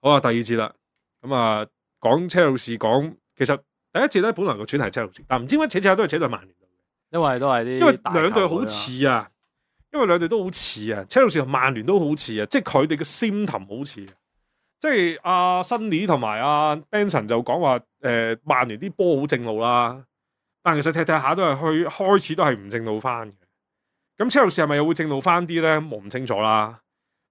好啊，第二節啦。咁啊，講車路士講，其實第一節咧本來個主題係車路士，但唔知點解扯扯都係扯到曼聯度嘅，因為都係啲因為大球兩隊好隊啊似啊，因為兩隊都好似啊，車路士同曼聯都好似啊，即係佢哋嘅 symptom 好似啊。即係阿辛尼同埋阿 Benson 就講話曼聯啲波好正路啦，但其實踢下都係開始都係唔正路翻嘅。咁車路士係咪又會正路翻啲咧？我唔清楚啦。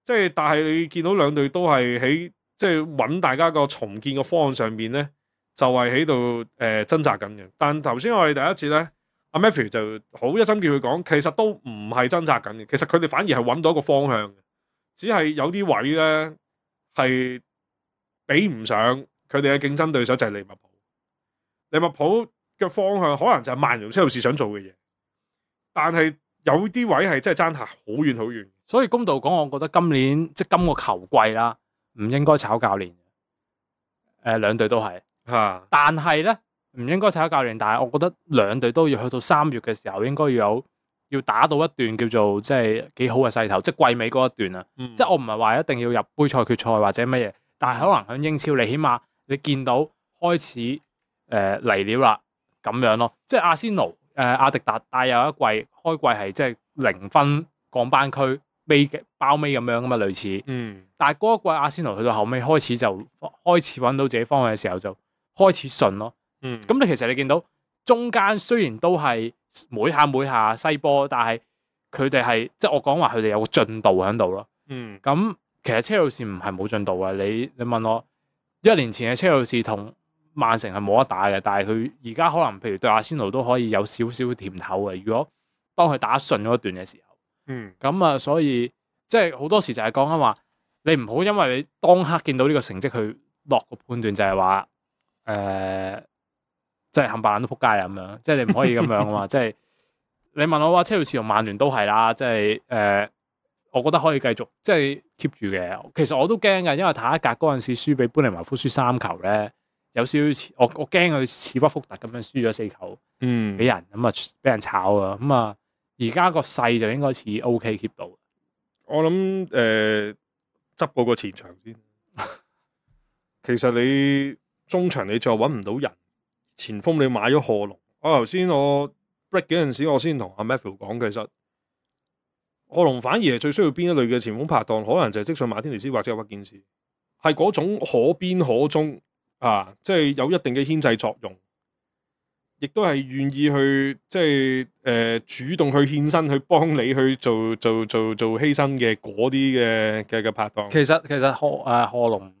即係但係你見到兩隊都係喺即係揾大家個重建個方案上邊咧，就係喺度掙扎緊嘅。但頭先我哋第一節咧，阿 Matthew 就好一心叫佢講，其實都唔係掙扎緊嘅，其實佢哋反而係揾到一個方向嘅，只係有啲位咧係比唔上佢哋嘅競爭對手就係利物浦。利物浦嘅方向可能就係曼聯車路士想做嘅嘢，但係有啲位係真係爭下好遠好遠。所以公道講，我覺得今年即係今個球季啦，唔應該炒教練。兩隊都係嚇，但係咧唔應該炒教練。但係我覺得兩隊都要去到3月嘅時候，應該要打到一段叫做即係幾好嘅勢頭，即係季尾嗰一段啊。即係我唔係話一定要入杯賽決賽或者乜嘢，但係可能喺英超你起碼你見到開始嚟料啦咁樣咯。即係阿仙奴阿迪達帶有一季開季係即係0分降班區包尾咁樣噶嘛，類似。但係嗰一季阿仙奴去到後尾開始揾到自己方向嘅時候就開始順咯。咁你其實你見到中間雖然都係每下西波，但係佢哋係即係我講話佢哋有個進度喺度咯。咁其實車路士唔係冇進度啊。你問我1年前嘅車路士同曼城係冇得打嘅，但係佢而家可能譬如對阿仙奴都可以有少少甜頭嘅。如果當佢打順嗰段嘅時候。咁啊，所以即係好多時就係講緊話，你唔好因為你當刻見到呢個成績去落個判斷，就係話即係冚唪唥都撲街啦咁樣，即係你唔可以咁樣啊嘛。即係你問我話，車路士同曼聯都係啦，即係我覺得可以繼續即係 keep 住嘅。其實我都驚嘅，因為塔一格嗰陣時輸俾般尼茅夫輸3球咧，有少少似我驚佢似屈福特咁樣輸咗4球，俾人咁啊俾人炒啊咁啊。而家個勢就應該似 OK keep 到。我諗執過個前場先。其實你中場你再揾唔到人，前鋒你買咗賀龍。我頭先我 break 嗰陣時，我先同阿 Matthew 講，其實賀龍反而係最需要邊一類嘅前鋒拍檔，可能就係積遜馬天尼斯或者屈健士，係嗰種可邊可中啊，即係有一定嘅牽制作用。亦都係願意去即係主動去獻身去幫你去做犧牲嘅嗰啲嘅拍檔。其實賀龍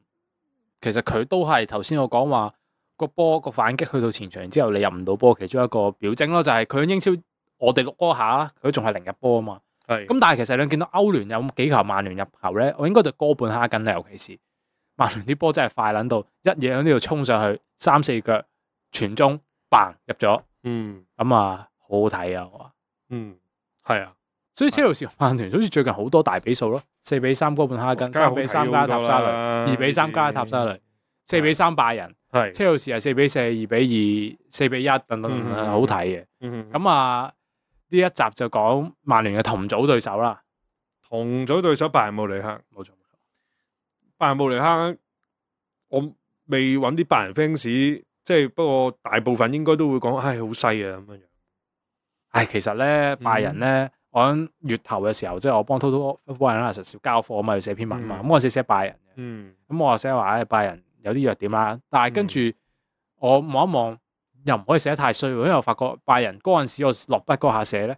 其實佢都係頭先我講話個波個反擊去到前場之後，你入唔到波，其中一個表徵咯，就係佢喺英超我哋錄波下，佢仲係0入波啊嘛。咁但係其實你見到歐聯有幾球曼聯入球咧，我應該就哥本哈根啦，尤其是曼聯啲波真係快撚到一嘢喺呢度衝上去3-4腳傳中。嘭入咗，咁啊好好睇啊！我話，係啊，所以車路士同曼聯好似最近好多大比數咯，4-3哥本哈根，3-3加塔沙雷，2-3加塔沙雷，4-3拜仁，車路士係4-4、2-2、4-1等等，好睇嘅。咁啊呢一集就講曼聯嘅同組對手啦，同組對手拜仁慕尼黑，冇錯。拜仁慕尼黑，我未揾啲拜仁 fans。即係不過大部分應該都會講，唉，好犀啊咁樣。唉，其實咧拜仁咧，我喺月頭嘅時候，即係我幫 Total Football Analysis 交課啊嘛，要寫篇文嘛。咁我寫拜仁嘅，咁我寫話唉，拜仁有啲弱點啦。但係跟住我望一望，又唔可以寫得太衰，因為我發覺拜仁嗰陣時我落筆嗰下寫咧，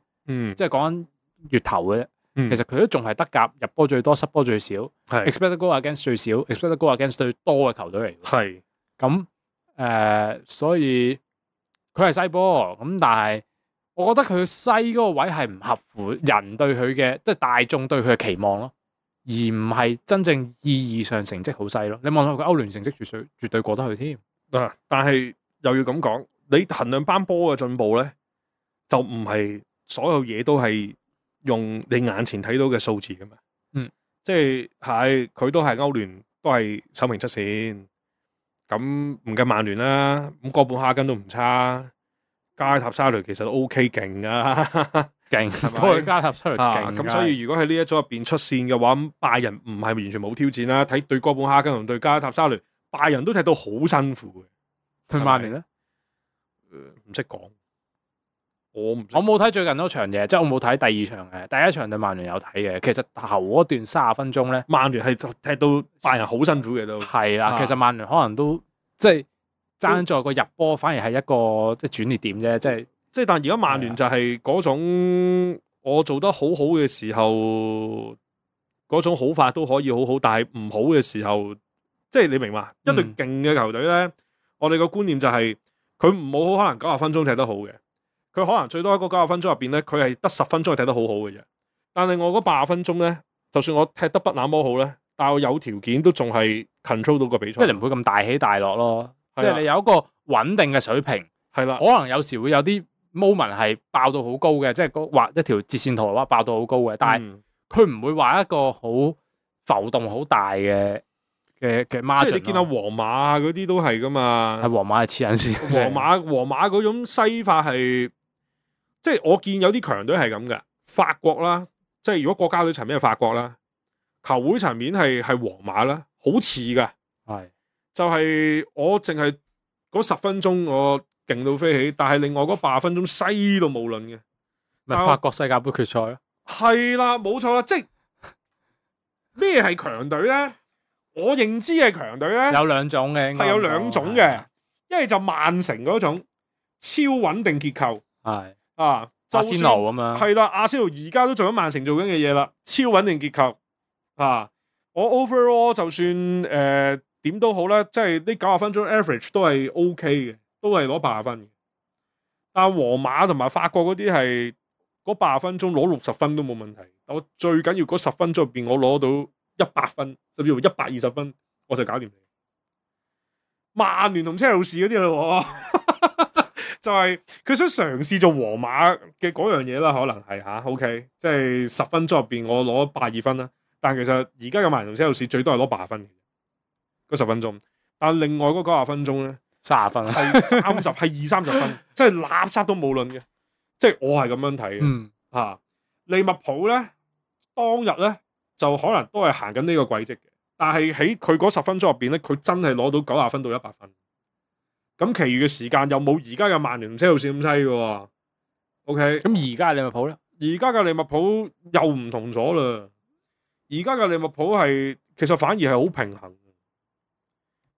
即係講緊月頭嘅啫。其實佢都仲係德甲入波最多、失波最少，expected goal against 最少，expected goal against 最多嘅球隊嚟。係咁。所以佢係西波咁，但係我覺得佢西嗰個位係唔合乎人對佢嘅，即係大眾對佢嘅期望咯，而唔係真正意義上成績好西咯。你望下佢歐聯成績絕對過得去添。但係又要咁講，你衡量班波嘅進步咧，就唔係所有嘢都係用你眼前睇到嘅數字噶嘛。即係佢都係歐聯都係首名出線。咁唔計曼聯啦，咁哥本哈根都唔差，加塔沙雷其實都 OK 勁啊。勁，係咪多佢加塔出嚟啊，勁。咁所以如果喺呢一組入邊出線嘅話，咁拜仁唔係完全冇挑戰啦。睇對哥本哈根同對加塔沙雷，拜仁都踢到好辛苦嘅。對曼聯咧，唔識講，我唔識我冇睇最近嗰場嘢，即係我冇睇第二場嘅，第一場對曼聯有睇嘅。其實頭嗰段30分鐘咧，曼聯係踢到拜仁好辛苦嘅都。係啦，啊其實曼聯可能都即係爭在個入波，反而係一個即係轉捩點啫，即係但而家曼聯就係嗰種我做得好好嘅時候，嗰種好法都可以好好，但係唔好嘅時候，即係你明嘛？一隊勁嘅球隊咧，我哋個觀念就係佢唔好可能90分鐘踢得好嘅，佢可能最多喺嗰90分鐘入邊咧，佢係得10分鐘係踢得好好嘅啫。但係我嗰80分鐘咧，就算我踢得不那麼好咧，但係我有條件都仲係 control 到個比賽，即係你唔會咁大起大落咯。即係你有一個穩定嘅水平，係啦，可能有時會有啲 moment 係爆到好高嘅，即係畫一條截線圖嘅話爆到好高嘅，但係佢唔會話一個好浮動好大嘅 margin。即係你見到皇馬嗰啲都係噶嘛，係皇馬係黐緊線。皇馬嗰種西法係，即係我見有啲強隊係咁嘅，法國啦，即係如果國家隊層面係法國啦，球會層面係皇馬啦，好似噶，係就係我淨係嗰10分鐘我勁到飛起，但係另外嗰80分鐘西到無論嘅，咪法國世界盃決賽咯。係啦，冇錯啦，即係咩係強隊咧？我認知嘅強隊咧，有兩種嘅，係有兩種嘅，一係就曼城嗰種超穩定結構，係啊，阿仙奴咁樣，係啦，阿仙奴而家都做緊曼城做緊嘅嘢啦，超穩定結構啊！我 overall 就算點都好啦，即係呢90分鐘 average 都係 OK 嘅，都係攞80分嘅。但係皇馬同埋法國嗰啲係嗰80分鐘攞60分都冇問題。我最緊要嗰10分鐘入邊，我攞到100分，甚至乎120分，我就搞掂你。曼聯同車路士嗰啲咯，就係佢想嘗試做皇馬嘅嗰樣嘢啦，可能係吓 OK，即係10分鐘入邊我攞82分啦。但其實而家嘅曼聯同車路士最多係攞80分嘅，嗰10分鐘。但另外嗰90分鐘咧30分係30係20-30分，即係垃圾都冇論嘅。即係我係咁樣睇嘅。啊，利物浦咧當日咧就可能都係行緊呢個軌跡嘅，但係喺佢嗰10分鐘入邊咧，佢真係攞到90分到100分。咁，其餘嘅時間又冇而家嘅曼聯同車路士咁犀嘅。OK，咁而家利物浦咧，而家嘅利物浦又唔同咗啦。而家嘅利物浦係其實反而係好平衡。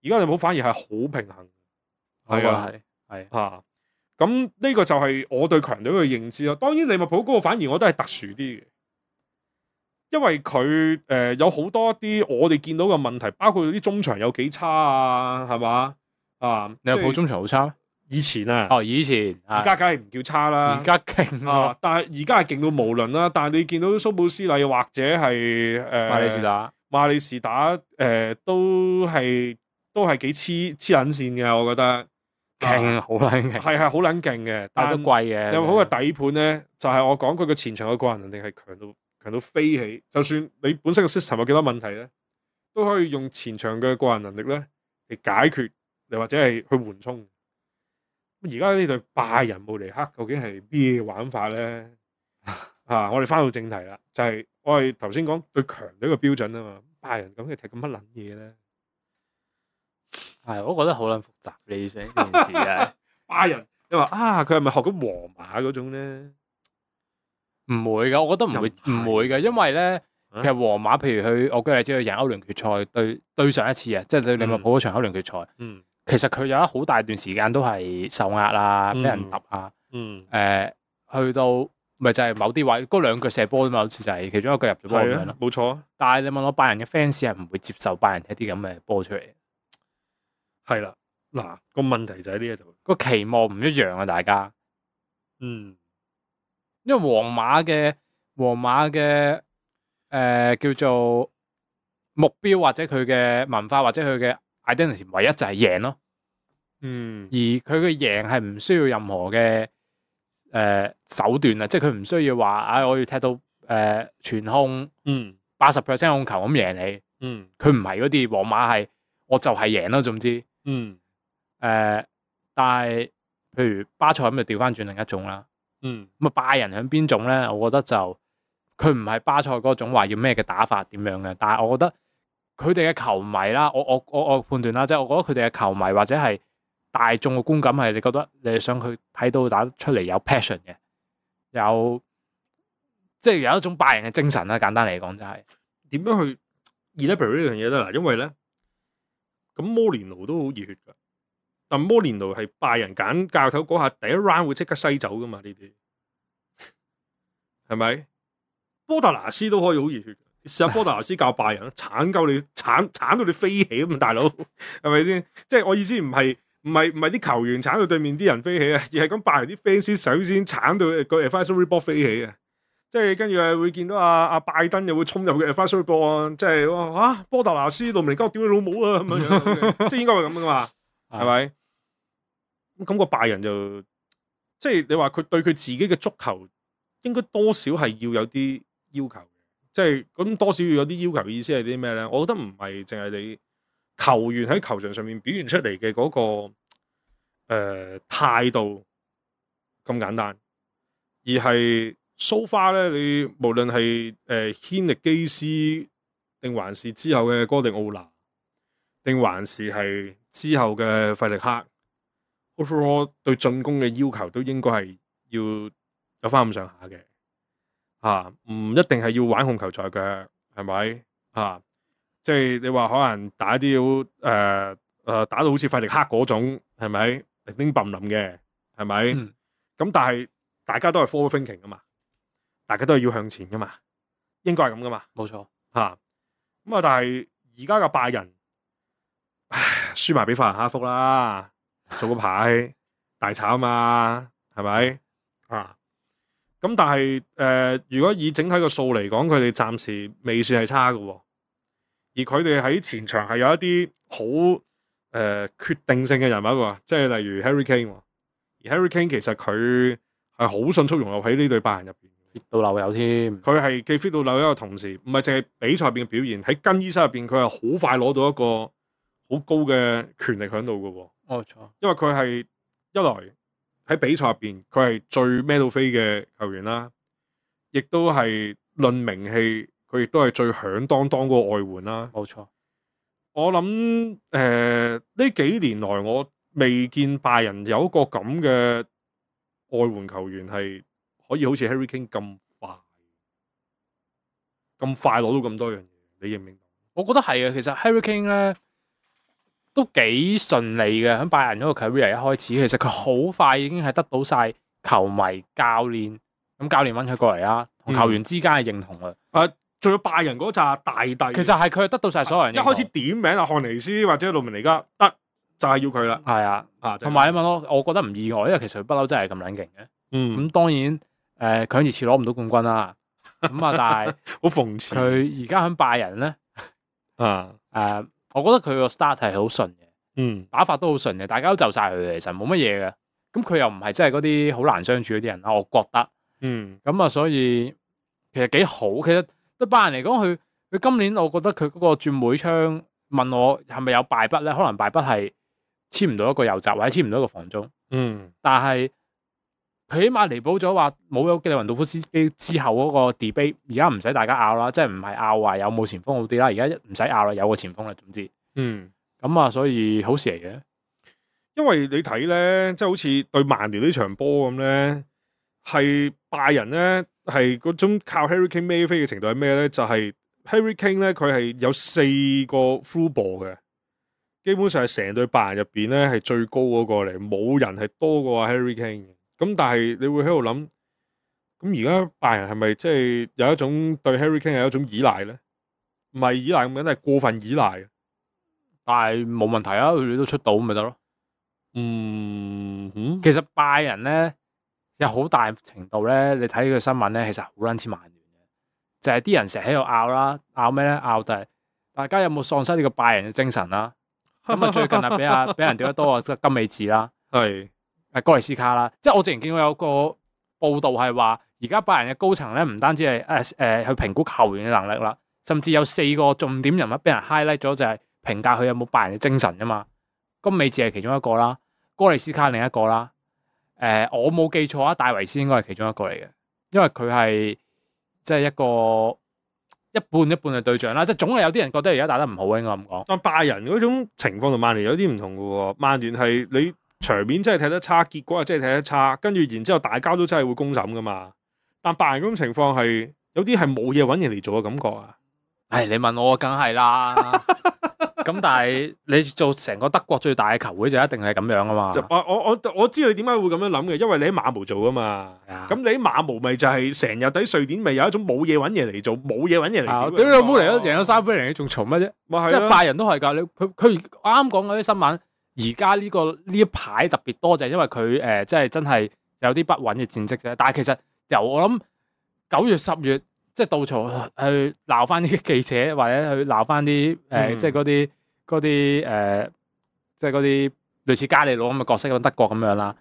而家利物浦反而係好平衡。係啊，係嚇。咁呢個就係我對強隊嘅認知啦。當然利物浦嗰個反而我都係特殊啲嘅，因為佢有好多啲我哋見到嘅問題，包括啲中場有幾差啊，係嘛啊？利物浦中場好差咩？以前啊，哦，以前而家梗係唔叫差啦，而家勁啊！但係而家係勁到無論啦。但係你見到蘇布斯禮或者係馬里士打都係幾黐撚線嘅，我覺得勁好撚勁，係好撚勁嘅，但係都貴嘅。利物浦嘅底盤咧，就係我講佢嘅前場嘅個人能力係強到飛起。就算你本身嘅 system 有幾多問題咧，都可以用前場嘅個人能力咧嚟解決，又或者係去緩衝。而家呢隊拜仁慕尼黑究竟係咩玩法咧？啊！我哋翻到正題啦，就係我哋頭先講對強隊嘅標準啊嘛。拜仁咁嘅踢咁乜撚嘢咧？係，我覺得好撚複雜呢件事嘅。拜仁，你話啊，佢係咪學緊皇馬嗰種咧？唔會噶，我覺得唔會嘅，因為咧，其實皇馬譬如我舉例子，佢贏歐聯決賽對上一次啊，即係對利物浦嗰場歐聯決賽。其實佢有一好大段時間都係受壓啊，俾人揼啊。去到咪就係某啲位嗰2腳射波啫嘛，好似就係其中一腳入咗波咁樣咯。冇錯。但係你問我拜仁嘅 fans 係唔會接受拜仁踢啲咁嘅波出嚟。係啦，嗱個問題就喺呢一度，個期望唔一樣啊，大家。因為皇馬嘅叫做目標或者佢嘅文化或者佢嘅 identity 唯一就係贏咯。而佢嘅贏係唔需要任何嘅手段啊，即係佢唔需要話我要踢到全控80% 控球咁贏你。佢唔係嗰啲，皇馬係我就係贏咯，總之。但係譬如巴塞咁就調翻轉另一種啦。咁啊拜仁喺邊種咧？我覺得就佢唔係巴塞嗰種話要咩嘅打法點樣嘅，但係我覺得佢哋嘅球迷啦，我判斷啦，即係我覺得佢哋嘅球迷或者係大眾嘅觀感係你覺得你想佢睇到打出嚟有 passion 嘅，有即係有一種拜仁嘅精神啦。簡單嚟講就係點樣去 elaborate 呢樣嘢咧？嗱，因為咧咁摩連奴都好熱血㗎，但摩連奴係拜仁揀教頭嗰下第一 round 會即刻西走㗎嘛？呢啲係咪？波特拿斯都可以好熱血，試下波特拿斯教拜仁，鏟鳩你鏟到你飛起咁，大佬係咪先？即係我意思唔係啲球員鏟到對面啲人飛起啊，而係咁拜仁啲 fans 首先鏟到個 advisory board 飛起啊！即係跟住會見到阿拜登又會衝入嘅 advisory board 啊！即係哇波特拿斯路明尼加屌你老母啊咁樣，即係應該係咁噶嘛？係咪？咁個拜仁就即係你話佢對佢自己嘅足球應該多少係要有啲要求嘅，即係咁多少要有啲要求嘅意思係啲咩咧？我覺得唔係淨係你球員喺球場上面表現出嚟嘅嗰個態度咁簡單，而係so far咧，你無論係軒力基斯定還是之後嘅哥迪奧拿，定還是係之後嘅費力克 overall 對進攻嘅要求都應該係要有翻咁上下嘅。唔一定係要玩控球在腳，係咪？即係你話可能打啲打到好似費力克嗰種，係咪？零丁冧冧嘅，係咪？咁但係大家都係 forward thinking 噶嘛，大家都係要向前噶嘛，應該係咁噶嘛，冇錯。咁但係而家嘅拜仁，輸埋俾法蘭克福啦，做個牌大炒啊嘛，係咪？咁但係如果以整體個數嚟講，佢哋暫時未算係差嘅喎，而佢哋喺前場係有一啲好決定性嘅人物喎，即係例如 Harry Kane 喎，而 Harry Kane 其實佢係好迅速融入喺呢隊拜仁入邊，fit 到漏油添。佢係既 fit 到漏油嘅同時，唔係淨係比賽入邊嘅表現，喺更衣室入邊佢係好快攞到一個好高嘅權力喺度嘅喎。冇錯，因為佢係一來喺比賽入邊，佢係最孭到飛嘅球員啦，亦都係論名氣，佢亦都係最響當當嗰個外援啦。冇錯，我諗呢幾年來，我未見拜仁有一個咁嘅外援球員係可以好似 Harry Kane 咁快攞到咁多樣嘢。你認唔認同？我覺得係啊，其實 Harry Kane 咧都幾順利嘅，喺拜仁嗰個 career 一開始，其實佢好快已經係得到晒球迷、教練，咁教練揾佢過嚟啦，同球員之間嘅認同啊。仲有拜仁嗰扎大帝，其實係佢得到晒所有人認同。一開始點名啊，漢尼斯或者路明尼加得就係要佢啦。係啊，同埋你問我覺得唔意外，因為其實佢不嬲真係咁撚勁嘅。咁當然佢喺熱刺攞唔到冠軍啦。咁但係好諷刺。佢而家喺拜仁咧，我覺得佢個 start 係好順嘅，打法都好順嘅，大家都就晒佢，其實冇乜嘢嘅。咁佢又唔係真係嗰啲好難相處嗰啲人啦，我覺得。咁所以其實幾好。其實對拜仁嚟講，佢今年我覺得佢嗰個轉會窗問我係咪有敗筆咧？可能敗筆係簽唔到一個右閘或者簽唔到一個防中。但係佢起碼彌補咗話冇咗基利雲道夫斯基之後嗰個 debate， 而家唔使大家拗啦，即係唔係拗話有冇前鋒好啲啦，而家唔使拗啦，有個前鋒啦，總之。咁所以好事嚟嘅。因為你睇咧，即係好似對曼聯呢場波咁咧，係拜仁咧係嗰種靠 Harry Kane 孭飛嘅程度係咩咧？就係 Harry Kane 咧，佢係有4個 through ball嘅，基本上係成隊拜仁入邊咧係最高嗰個嚟，冇人係多過 Harry Kane 嘅。咁但係你會喺度諗，咁而家拜仁係咪即係有一種對 Harry Kane 係一種依賴咧？唔係依賴咁樣，係過分依賴。但係冇問題啊，佢哋都出到咁咪得咯。其實拜仁咧有好大程度咧，你睇佢新聞咧，其實好撚似曼聯嘅，就係啲人成日喺度拗啦，拗咩咧？拗就係大家有冇喪失呢個拜仁嘅精神啦？咁最近俾人屌得多啊，金美治啦，係哥利斯卡啦，即係我之前見過有個報道係話，而家拜仁嘅高層咧唔單止係去評估球員嘅能力啦，甚至有4個重點人物俾人 highlight 咗，就係評價佢有冇拜仁嘅精神啊嘛。金美治係其中一個啦，哥利斯卡另一個啦，我冇記錯啊，戴維斯應該係其中一個嚟嘅，因為佢係即係一個一半一半嘅對象啦，即係總係有啲人覺得而家打得唔好，應該咁講。但拜仁嗰種情況同曼聯有啲唔同嘅喎，曼聯係你場面真係睇得差，結果係真係睇得差，跟住然之後大家都真係會公審噶嘛。但拜仁嗰種情況係有啲係冇嘢揾人嚟做嘅感覺啊！唉，你問我梗係啦。咁但係你做成個德國最大嘅球會就一定係咁樣啊嘛。我知道你點解會咁樣諗嘅，因為你喺馬毛做啊嘛。咁你喺馬毛咪就係成日喺瑞典咪有一種冇嘢揾嘢嚟做，冇嘢揾嘢嚟。屌你老母嚟咗贏咗3-0，你仲嘈乜啫？即係拜仁都係㗎。佢啱啱講嗰啲新聞，而家呢一排特別多就係因為佢即係真係有啲不穩嘅戰績啫。但係其實由我諗9月10月。即係杜曹去鬧翻啲記者，或者去鬧翻啲即係嗰啲即係嗰啲類似加利魯咁嘅角色，咁德國咁樣啦。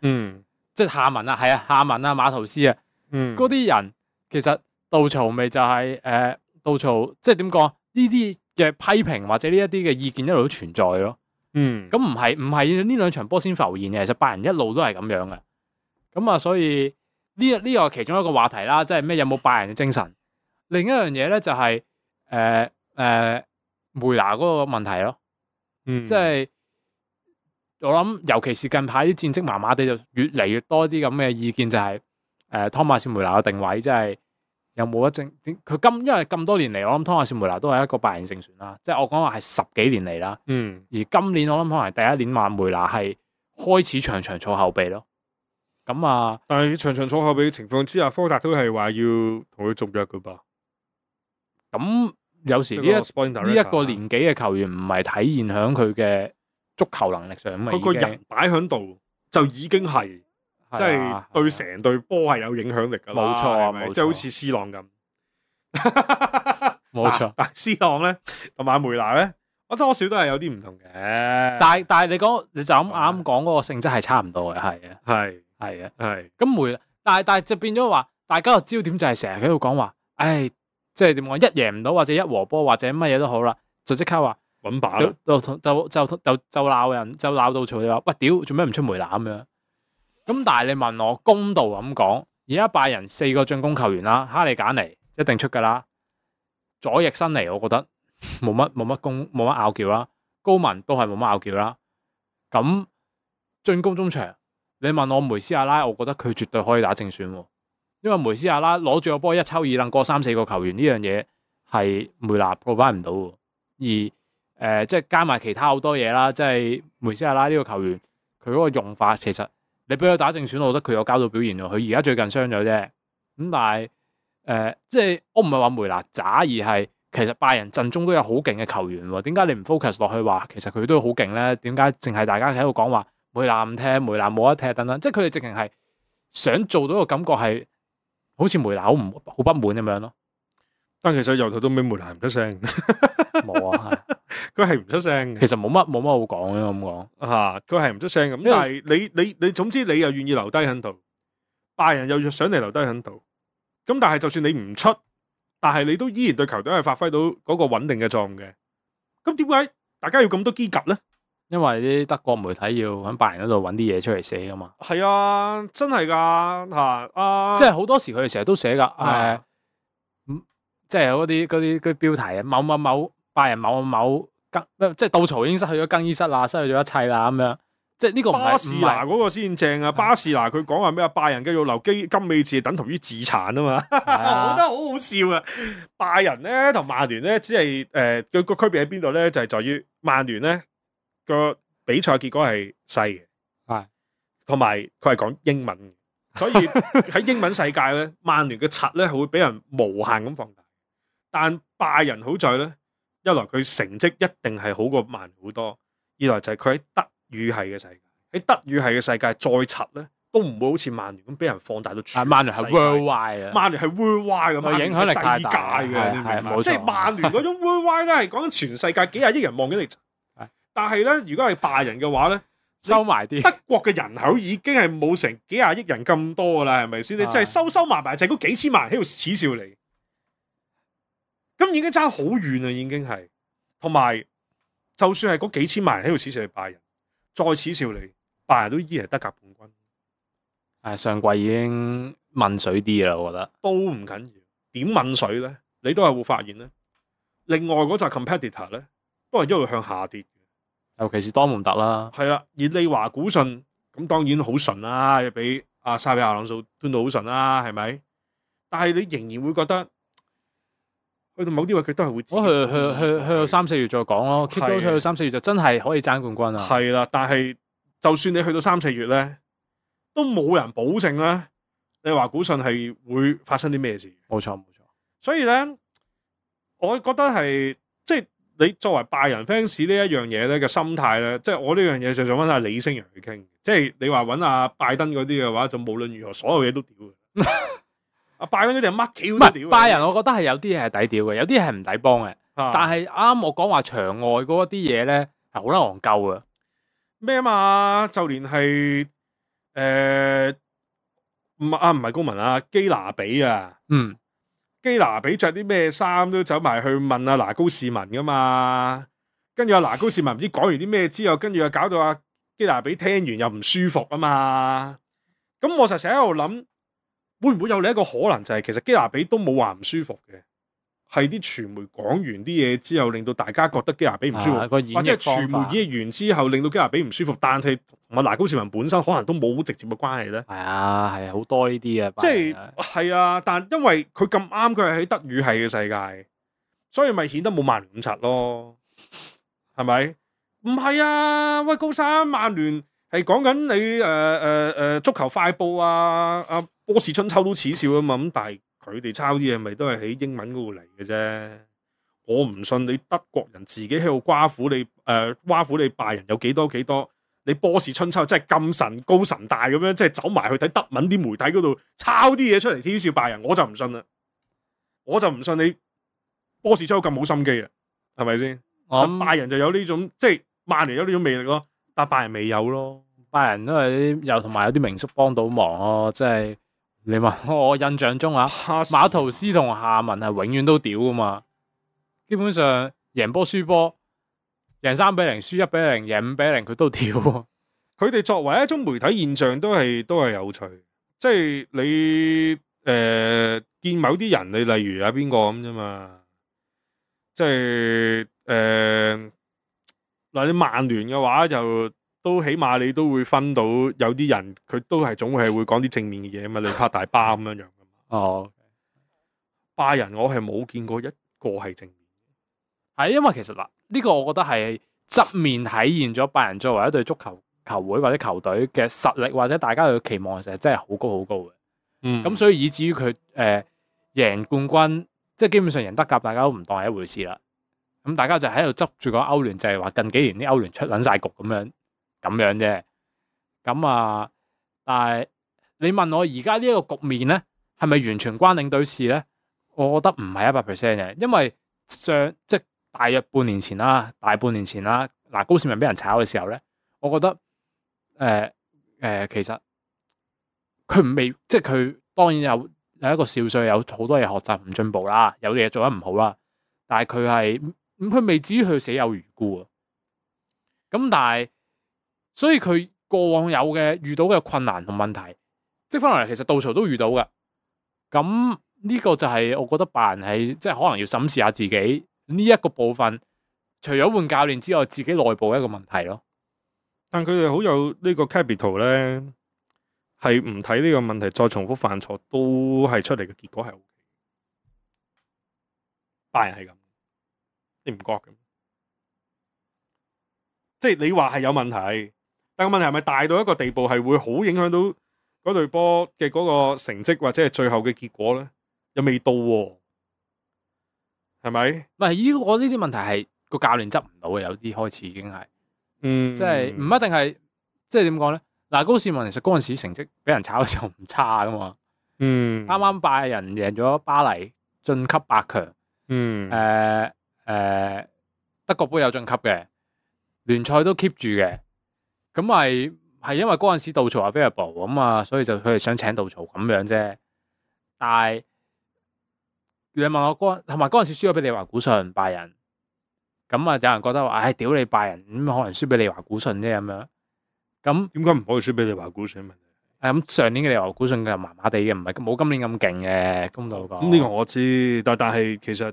即係夏文啊，係啊，夏文啊，馬圖斯啊，嗰啲人其實杜曹咪就係杜曹，即係點講？呢啲嘅批評或者呢一啲嘅意見一路都存在咯。咁唔係呢兩場波先浮現嘅，其實拜仁一路都係咁樣嘅。咁啊，所以呢個係其中一個話題啦，即係咩有冇拜仁嘅精神？另一樣嘢咧就係梅拿嗰個問題咯，即係我諗，尤其是近排啲戰績麻麻地，就越嚟越多啲咁嘅意見，就係湯馬士梅拿嘅定位，即係有冇一正佢因為咁多年嚟，我諗湯馬士梅拿都係一個拜仁正選啦，即係我講話係10幾年嚟啦，而今年我諗可能係第一年話梅拿係開始場場坐後備咯，咁啊，但係場場坐後備嘅情況之下，科達都係話要同佢續約噶噃。咁有時呢一個年紀嘅球員唔係體現響佢嘅足球能力上，佢個人擺喺度就已經係即係對成隊波係有影響力噶啦。冇錯，即係好似 C 朗咁。冇錯，但係 C 朗咧同埋梅拿咧，我多少都係有啲唔同嘅。但係你就啱啱講嗰個性質係差唔多嘅，係嘅。咁但係就變咗話，大家個焦點就係成日喺度講話，唉。即係點講？一贏唔到或者一和波或者乜嘢都好啦，就即刻話揾把就鬧人，就鬧到嘈就話喂，屌做咩唔出梅拿咁樣？咁但係你問我公道咁講，而家拜仁4個進攻球員啦，哈利簡尼一定出噶啦，左翼新尼我覺得冇乜拗撬啦，高文都係冇乜拗撬啦。咁進攻中場，你問我梅斯亞拉，我覺得佢絕對可以打正選。因為梅斯亞拉攞住個波一抽二掕過3-4個球員呢樣嘢係梅拿 provide 唔到，而即係加埋其他好多嘢啦，即係梅斯亞拉呢個球員佢嗰個用法，其實你俾佢打正選，我覺得佢有交到表現喎。佢而家最近傷咗啫，咁但係即係我唔係話梅拿渣，而係其實拜仁陣中都有好勁嘅球員喎。點解你唔 focus 落去話其實佢都好勁咧？點解淨係大家喺度講話梅拿唔踢，梅拿冇得踢等等？即係佢哋直情係想做到個感覺係。好似梅拿好不滿咁樣咯，但其實由頭到尾梅拿唔出聲，冇啊，佢係唔出聲。其實冇乜好講嘅咁講嚇，佢係唔出聲咁。但係你總之你又願意留低喺度，拜仁又想你留低喺度。咁但係就算你唔出，但係你都依然對球隊係發揮到嗰個穩定嘅作用嘅。咁點解大家要咁多機甲咧？因為啲德國媒體要喺拜仁嗰度揾啲嘢出嚟寫噶嘛。係啊，真係噶嚇即係好多時佢哋成日都寫噶即係有嗰啲標題啊，某拜仁某更，即係杜曹已經失去咗更衣室啦，失去咗一切啦咁樣。即係呢個巴士拿嗰個先正啊！巴士拿佢講話咩啊？拜仁繼續留金美治等同於自殘啊嘛！我覺得好好笑啊！拜仁咧同曼聯咧，只係佢個區別喺邊度咧？就係在於曼聯咧。個比賽結果係細嘅，係，同埋佢係講英文嘅，所以喺英文世界咧，曼聯嘅柒咧係會俾人無限咁放大。但拜仁好在咧，一來佢成績一定係好過曼聯好多，二來就係佢喺德語系嘅世界，喺德語系嘅世界再柒咧，都唔會好似曼聯咁俾人放大到全。曼聯係 worldwide 啊，曼聯係 worldwide 咁，影響力太大嘅，係即係曼聯嗰種 worldwide 咧係講緊全世界幾廿億人望緊你。但係咧，如果係拜仁嘅話咧，收埋啲德國嘅人口已經係冇成幾廿億人咁多噶啦，係咪先？你真係收埋就係嗰幾千萬人喺度恥笑你，咁已經差好遠啦，已經係。同埋，就算係嗰幾千萬人喺度恥笑你拜仁，再恥笑你，拜仁都依然係德甲冠軍。上季已經問水啲啦，我覺得都唔緊要。點問水咧？你都係會發現咧，另外嗰扎 competitor 咧都係一路向下跌。尤其是多蒙特啦，係啦，而利華古遜咁當然好順啦，又俾阿沙比亞朗素端到好順啦，係咪？但係你仍然會覺得去到某啲位佢都係會自己去到3-4月再講咯 keep 到去到3-4月就真係可以爭冠軍啊！係啦，但係就算你去到3-4月咧，都冇人保證咧，你話古遜係會發生啲咩事？冇錯。所以咧，我覺得係即係你作為拜仁 fans 呢一樣嘢咧嘅心態咧，即係我呢樣嘢就想揾阿李星陽去傾。即係你話揾阿拜登嗰啲嘅話，就無論如何所有嘢都屌嘅。阿拜登嗰啲係乜橋都屌。拜仁我覺得係有啲嘢係抵屌嘅，有啲係唔抵幫嘅。但係啱我講話場外嗰啲嘢咧係好撚戇鳩啊！咩啊嘛？就連係唔係公民啊，基拿比啊，基拿比着啲咩衫都走埋去問阿拿高士文噶嘛，跟住阿拿高士文唔知講完啲咩之後，跟住又搞到阿基拿比聽完又唔舒服啊嘛，咁我就成日喺度諗，會唔會有另一個可能就係其實基拿比都冇話唔舒服嘅，係啲傳媒講完啲嘢之後，令到大家覺得基拿比唔舒服，或者係傳媒演繹完之後令到基拿比唔舒服，但係同埋拿高士文本身可能都冇直接嘅關係咧。係啊，係好多呢啲嘅，即係啊，但因為佢咁啱，佢係喺德語系嘅世界，所以咪顯得冇曼聯咁柒咯，係咪？唔係啊，喂高山，曼聯係講緊你足球快報啊，阿波士春秋都恥笑啊嘛，咁但係佢哋抄啲嘢咪都係喺英文嗰度嚟嘅啫。我唔信你德國人自己喺度挖苦你拜仁有幾多，你波士春秋真係咁神高神大咁樣，即係走埋去睇德文啲媒體嗰度抄啲嘢出嚟恥笑拜仁，我就唔信啦。我就唔信你波士春秋咁冇心機啊，係咪先？拜仁就有呢種，即係曼聯有呢種魅力咯，但拜仁未有咯。拜仁都係又同埋有啲名宿幫到忙咯，即係你問我印象中啊，馬圖斯同夏文係永遠都屌噶嘛，基本上贏波輸波。贏3-0，輸1-0，贏5-0，佢都跳。佢哋作為一種媒體現象都係有趣，即係你見某啲人，你例如有邊個咁啫嘛，即係嗱你曼聯嘅話就都起碼你都會分到有啲人佢都係總係會講啲正面嘅嘢嘛，你拍大巴咁樣樣噶嘛。哦，拜仁我係冇見過一個係正面。係因為其實嗱。呢個我覺得係側面體現咗拜仁作為一隊足球球會或者球隊嘅實力，或者大家嘅期望其實真係好高好高嘅。咁所以以至於佢贏冠軍，即係基本上贏德甲，大家都唔當係一回事啦。咁大家就喺度執住個歐聯，就係話近幾年啲歐聯出撚晒局咁樣啫。咁啊，但係你問我而家呢一個局面咧，係咪完全關領隊事咧？我覺得唔係100%嘅，因為即大約大半年前啦，嗱高士文俾人炒嘅時候咧，我覺得其實佢未，即係佢當然有一個少歲，有好多嘢學習唔進步啦，有嘢做得唔好啦，但係佢未至於去死有餘辜啊。咁但係，所以佢過往遇到嘅困難同問題，積翻落嚟，其實杜曹都遇到嘅。咁呢個就係我覺得拜仁係即係可能要審視下自己。呢一個部分，除咗換教練之外，自己內部一個問題咯。但佢哋好有呢個 capital 咧，係唔睇呢個問題，再重複犯錯，都係出嚟嘅結果係 OK。拜仁係咁，你唔覺嘅？即係你話係有問題，但個問題係咪大到一個地步，係會好影響到嗰隊波嘅嗰個成績或者係最後嘅結果咧？又未到喎。係咪？唔係我呢啲問題係個教練執唔到嘅，有啲開始已經係，即係唔一定係，即係點講咧？嗱，高士文其實嗰陣時成績俾人炒嘅時候唔差噶嘛，啱啱拜仁贏咗巴黎晉級8強，德國杯有晉級嘅，聯賽都 keep 住嘅，咁係因為嗰陣時杜曹 available 咁啊，所以就佢哋想請杜曹咁樣啫，但係。你問我同埋嗰陣時輸咗俾利華古遜拜仁，咁啊有人覺得話，唉，屌你拜仁，咁可能輸俾利華古遜啫咁樣。咁點解唔可以輸俾利華古遜？咁上年嘅利華古遜就麻麻地嘅，唔係冇今年咁勁嘅，公道講。咁呢個我知，但係其實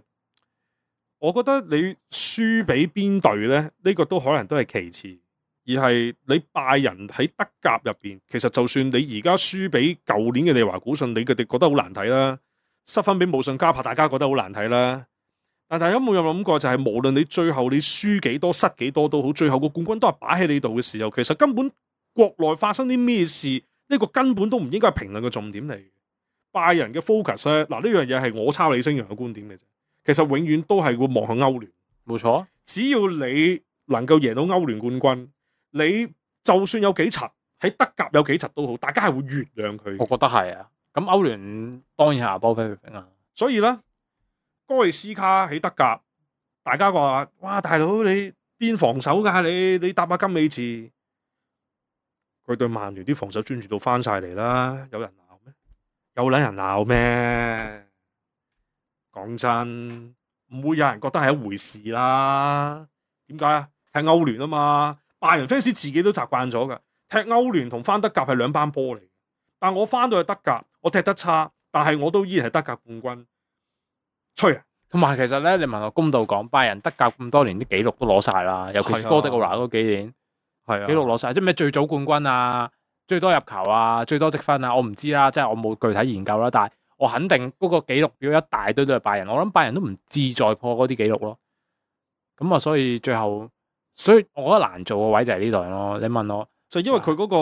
我覺得你輸俾邊隊咧，呢個都可能都係其次，而係你拜仁喺德甲入邊，其實就算你而家輸俾舊年嘅利華古遜，你哋覺得好難睇啦，失分俾慕遜加柏，大家覺得好難睇啦。但大家冇有諗過就係無論你最後你輸幾多失幾多都好，最後個冠軍都係擺喺你度嘅時候，其實根本國內發生啲咩事，呢個根本都唔應該係評論嘅重點嚟。拜仁嘅 focus 咧，嗱呢樣嘢係我抄李星陽嘅觀點嘅啫。其實永遠都係會望向歐聯，冇錯。只要你能夠贏到歐聯冠軍，你就算有幾柒喺德甲有幾柒都好，大家係會原諒佢。我覺得係啊。咁歐聯當然係 above everything 啊。所以咧，哥利斯卡喺德甲，大家話：哇，大佬你邊防守㗎？你搭下金美治，佢對曼聯啲防守專注到翻晒嚟啦，有人鬧咩？有撚人鬧咩？講真，唔會有人覺得係一回事啦。點解啊？踢歐聯啊嘛，拜仁 fans 自己都習慣咗㗎。踢歐聯同翻德甲係兩班波嚟。但我翻到去德甲，我踢得差，但係我都依然係德甲冠軍。吹啊！同埋其實咧，你問我公道講，拜仁德甲咁多年啲紀錄都攞晒啦，尤其是哥迪奧拿嗰幾年，係啊，紀錄攞晒，即係咩最早冠軍啊、最多入球啊、最多積分啊，我唔知啦，即係我冇具體研究啦，但係我肯定嗰個紀錄表一大堆都係拜仁，我諗拜仁都唔志在破嗰啲紀錄咯。咁啊，所以最後，所以我覺得難做嘅位就係呢度咯。你問我，就因為佢嗰個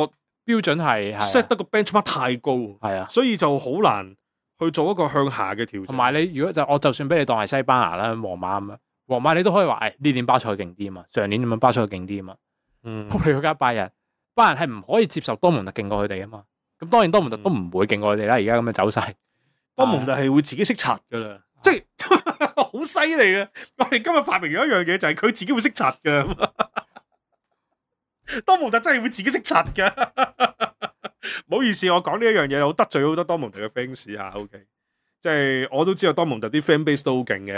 標準係 set 得個 benchmark 太高，係啊，所以就好難去做一個向下嘅調整。同埋你如果我就算俾你當係西班牙啦、皇馬咁啊，皇馬你都可以話誒呢年巴塞勁啲啊嘛，上年咁樣巴塞勁啲啊嘛。你嗰間拜仁係唔可以接受多蒙特勁過佢哋啊嘛。咁當然多蒙特都唔會勁過佢哋啦。而家咁嘅走勢，多蒙特係會自己識刷噶啦，即係好犀利嘅。我哋今日發明咗一樣嘢，就係佢自己會識刷噶。多蒙特真係會自己識刷噶。唔好意思，我講呢一樣嘢，我得罪好多多蒙特嘅 fans 吓。OK， 即係我都知道多蒙特啲 fan base 都好勁嘅，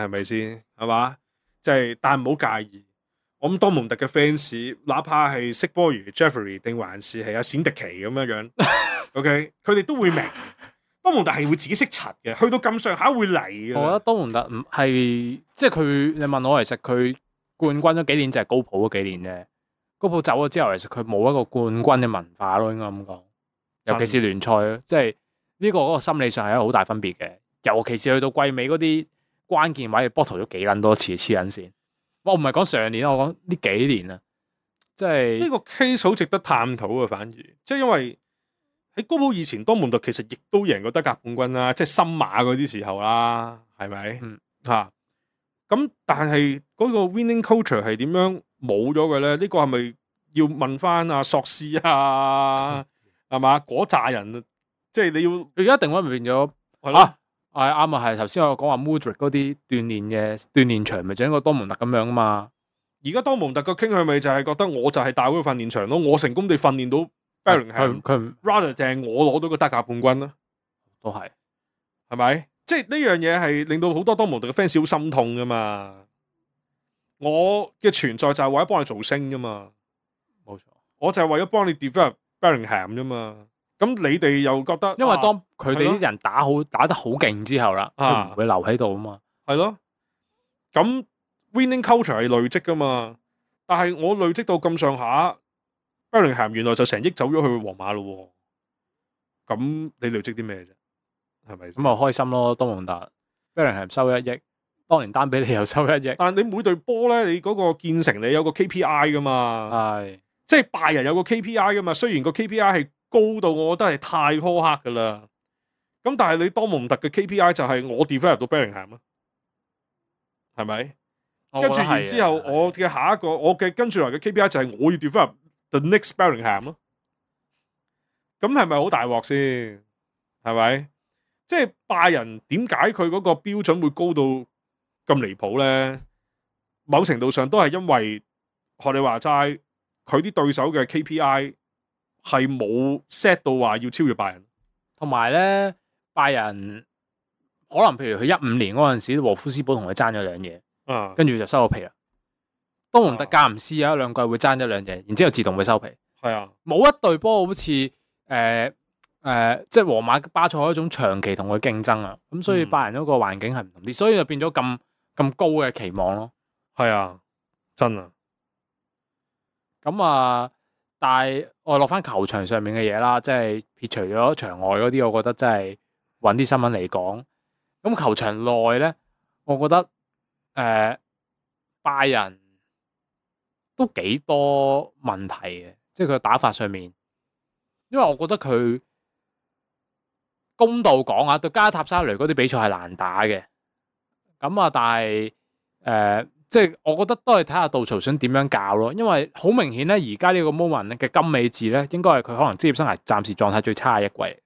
係咪先？係嘛？即係，但係唔好介意。我諗多蒙特嘅 fans，哪怕係識波如 Jeffrey 定還是係阿冼迪奇咁樣樣，OK， 佢哋都會明。多蒙特係會自己識刷嘅，去到咁上下會嚟嘅。我覺得多蒙特唔係，即係佢。你問我，其實佢冠軍咗幾年就係高普嗰幾年啫。高普走咗之後，其實佢冇一個冠軍嘅文化咯，應該咁講。尤其是聯賽咯，即係呢個嗰個心理上係一個好大分別嘅。尤其是去到季尾嗰啲關鍵位，bottle 咗幾撚多次黐撚線。我唔係講上年，我講呢幾年啊，即係呢個 case 好值得探討啊。反而即係因為喺高普以前，多蒙特其實亦都贏過德甲冠軍啦，即係森馬嗰啲時候啦，係咪？嚇咁，但係嗰個 winning culture 係點樣冇咗嘅咧？呢個係咪要問翻阿索斯啊？係嘛？嗰扎人即係你要佢一定會變咗係咯。係啱啊！係頭先我講話 Mudryk 嗰啲鍛鍊場，咪就係一個多蒙特咁樣啊嘛。而家多蒙特嘅傾向咪就係覺得我就係大會訓練場咯，我成功地訓練到 Bellingham，佢 rather 定係我攞到個德甲冠軍咯，都係咪？即係呢樣嘢係令到好多多蒙特嘅 fans 好心痛噶嘛。我嘅存在就係為咗幫你做星噶嘛，冇錯，我就係為咗幫你 develop Bellingham 啫嘛。咁你哋又覺得，因為當佢哋啲人打得好勁之後啦，佢唔會留喺度啊嘛。係咯，咁 winning culture 係累積噶嘛。但係我累積到咁上下 Bellingham 原來就成億走咗去皇馬咯。咁你累積啲咩啫？係咪？咁啊開心咯，多蒙特 Bellingham 收1億，當年丹比利又收1億。但係你每隊波咧，你嗰個建成你有個 KPI 噶嘛？係，即係拜仁有個 KPI 噶嘛？雖然個 KPI 係高到我覺得係太苛刻噶啦，咁但係你多蒙特嘅 KPI 就係我 develop 到 Bellingham 咯，係咪？跟住然之後，我嘅下一個我嘅跟住來嘅 KPI 就係我要 develop the next Bellingham 咯。咁係咪好大鑊先？係咪？即係拜仁點解佢嗰個標準會高到咁離譜咧？某程度上都係因為學你話齋，佢啲對手嘅 KPI 係冇 set 到話要超越拜仁，同埋咧拜仁可能譬如佢15年嗰陣時，禾夫斯堡同佢爭咗兩嘢，跟住就收咗皮啦。多蒙特間唔時有一兩季會爭一兩嘢，然之後自動會收皮。係啊，冇一隊波好似即係皇馬巴塞一種長期同佢競爭啊，咁所以拜仁嗰個環境係唔同啲，所以就變咗咁高嘅期望咯。係啊，真啊。咁啊，但係我落翻球場上面嘅嘢啦，即係撇除咗場外嗰啲，我覺得真係揾啲新聞嚟講。咁球場內咧，我覺得拜仁都幾多問題嘅，即係佢打法上面，因為我覺得佢公道講啊，對加塔沙雷嗰啲比賽係難打嘅。咁啊，但係即係我覺得都係睇下杜曹想點樣教咯，因為好明顯咧，而家呢個 moment 嘅金美治咧，應該係佢可能職業生涯暫時狀態最差嘅一季。